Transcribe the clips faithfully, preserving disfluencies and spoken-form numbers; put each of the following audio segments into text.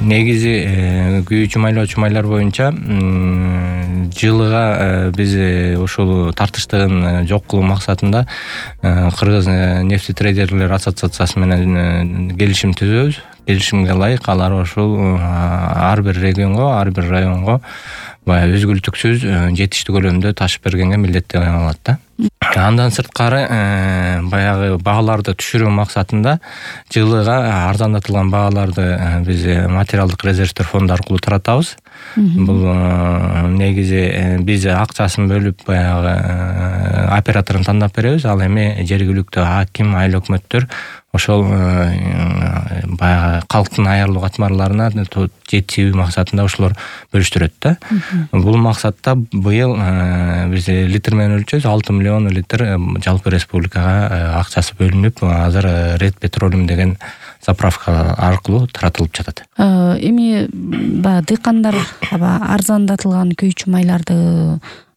негизи күйүүчү майлоочу майлар боюнча жылыга биз ушул тартыштыгын жок кылуу максатында Кыргыз нефтетрейдерлер ассоциациясы менен келишим түзөбүз. Келишимге ылайык алар ошол ар бир регионго, ар бир районго баягы үзгүлтүксүз жетиштүү көлөмдө таш бергенге милдеттенген алат да. Андан сырткары баягы бааларды түшүрүү максатында жылыга арзандатылган бааларды биз материалдык резервдер фонду аркылуу таратабыз. Бул негизи биз акчасын бөлүп баягы операторун тандап беребиз, ал эми жергиликтүү аким, айыл өкмөттөр ошол баягы калктын аярлуу катмарларына жетүү максатында ошолор бөлүштүрөт да. Бул максатта быйыл биз литр менен өлчөбүз, алты миллион литр жалпы республикага акчасы бөлүнүп, азыр Ред Петролиум деген заправка аркылуу таратылып жатат. Эми баягы дыйкандар арзандатылган күйүүчү майларды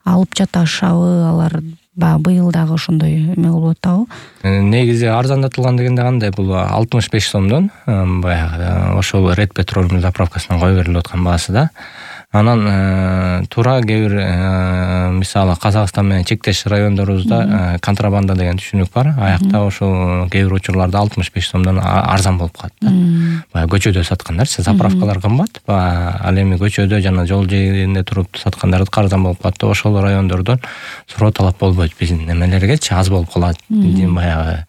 алып жатышабы, алар баягы быйыл дагы ошондой эме болуп атабы? Негизи арзандатылган дегенде кандай, бул алтымыш беш сомдон баягы ошол Ред Петролиум заправкасынан кое берилип аткан баасы да. Анан туура кээ бир мисалы Казакстан менен чектеш райондорубузда контрабанда деген түшүнүк бар. Аякта ошол кээ бир учурларда алтымыш беш сомдон арзан болуп калат да. Баягы көчөдө саткандарчы, заправкалар кымбат, ал эми көчөдө жана жол жээгинде туруп саткандар арзан болуп калат да. Ошол райондордон суроо талап болбойт биздин немелергечи, аз болуп калат. Баягы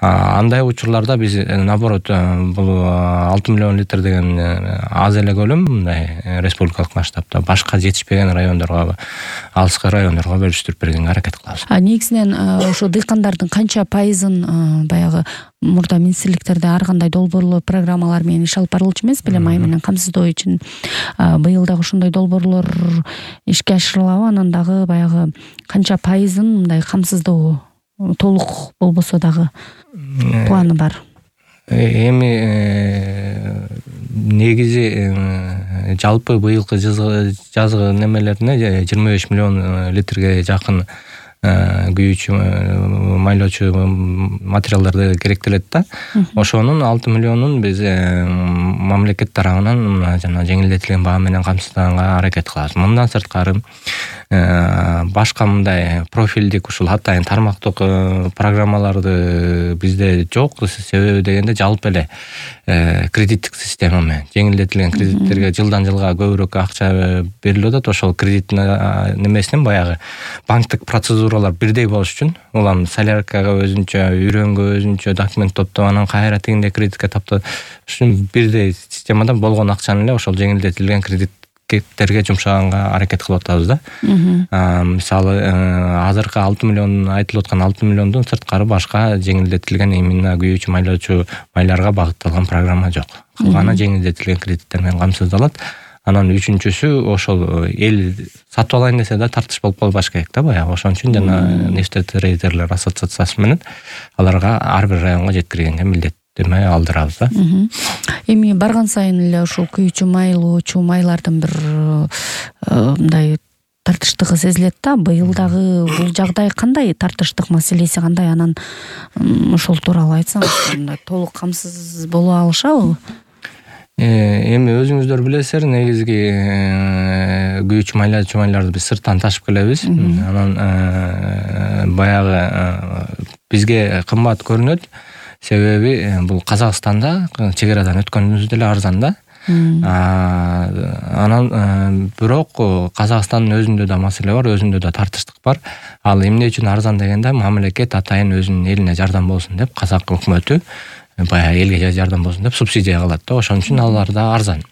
андай учурларда биз наоборот бул алты миллион литр деген аз эле көлөм, мындай республикалык масштабта башка жетишпеген райондорго, алыскы райондорго бөлүштүрүп бергенге аракет кылабыз. А негизинен ошо дыйкандардын канча пайызын баягы мурда министрликтерде ар кандай долбоорлор, программалар менен иш алып барылчу эмес беле, май менен камсыздоо үчүн быйыл дагы ошондой долбоорлор ишке ашырылабы? Анан дагы баягы канча пайызын мындай камсыздоо толук болбосо дагы планы бар? Эми негизи жалпы быйылкы жазгы немелерине жыйырма беш миллион литрге жакын күйүүчү майлоочу материалдарды керектелет да. Ошонун алты миллионун биз мамлекет тарабынан жана жеңилдетилген баа менен камсыздаганга аракет кылабыз. Мындан сырткары башка мындай профилдик ушул атайын тармактык программаларды бизде жок. Себеби дегенде жалпы эле кредиттик система менен жеңилдетилген кредиттерге жылдан жылга көбүрөөк акча берилип атат. Ошол кредит немесинен баягы банктык процедуралар бирдей болуш үчүн, улам соляркага өзүнчө, үйрөнгө өзүнчө документ топтоп, анан кайра тигиндей кредитке таптоо үчүн бирдей системада болгон акчаны эле ошол жеңилдетилген кредиттерге жумшаганга аракет кылып атабыз да. Мисалы азыркы алты миллион айтылып аткан алты миллиондон сырткары башка жеңилдетилген именно күйүүчү майлоочу майларга багытталган программа жок. Калганы жеңилдетилген кредиттер менен камсыздалат. Анан үчүнчүсү ошол эл сатып алайын десе да тартыш болуп калбаш керек да баягы. Ошон үчүн жана нефтетрейдерлер ассоциациясы менен аларга ар бир районго жеткиргенге милдеттеме алдырабыз да. Эми барган сайын эле ушул күйүүчү майлоочу майлардын бир мындай тартыштыгы сезилет да. Быйыл дагы бул жагдай кандай, тартыштык маселеси кандай? Анан ошол тууралуу айтсаңыз, мындай толук камсыз боло алышабы? Эми өзүңүздөр билесиздер, негизги күйүүчү майлоочу майларды биз сырттан ташып келебиз. Анан баягы бизге кымбат көрүнөт. Себеби бул Казакстанда чегерадан өткөнүбүз деле арзан да. Анан бирок Казакстандын өзүндө да маселе бар, өзүндө да тартыштык бар. Ал эмне үчүн арзан дегенде, мамлекет атайын өзүнүн элине жардам болсун деп, Казак өкмөтү баягы элге жардам болсун деп субсидия кылат да. Ошон үчүн алар да арзан.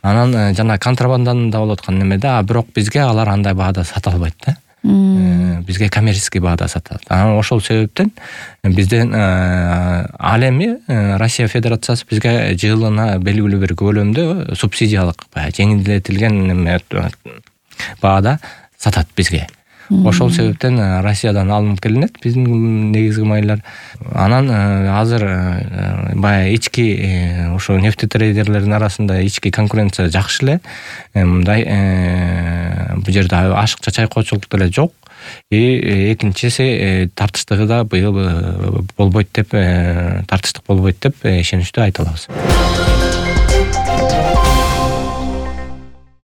Анан жана контрабанданын да болуп аткан немеде, а бирок бизге алар андай баада сата албайт да. Бизге коммерческий баада сатат. Анан ошол себептен бизден ал эми Россия Федерациясы бизге жылына белгилүү бир көлөмдө субсидиялык баягы жеңилдетилген неме баада сатат бизге. Ошол себептен Россиядан алынып келинет биздин негизги майлар. Анан азыр баягы ички ошо нефтетрейдерлердин арасында ички конкуренция жакшы эле. Мындай бул жерде ашыкча чайкоочулук деле жок. И экинчиси тартыштыгы да быйыл болбойт деп, тартыштык болбойт деп ишеничтүү айта алабыз.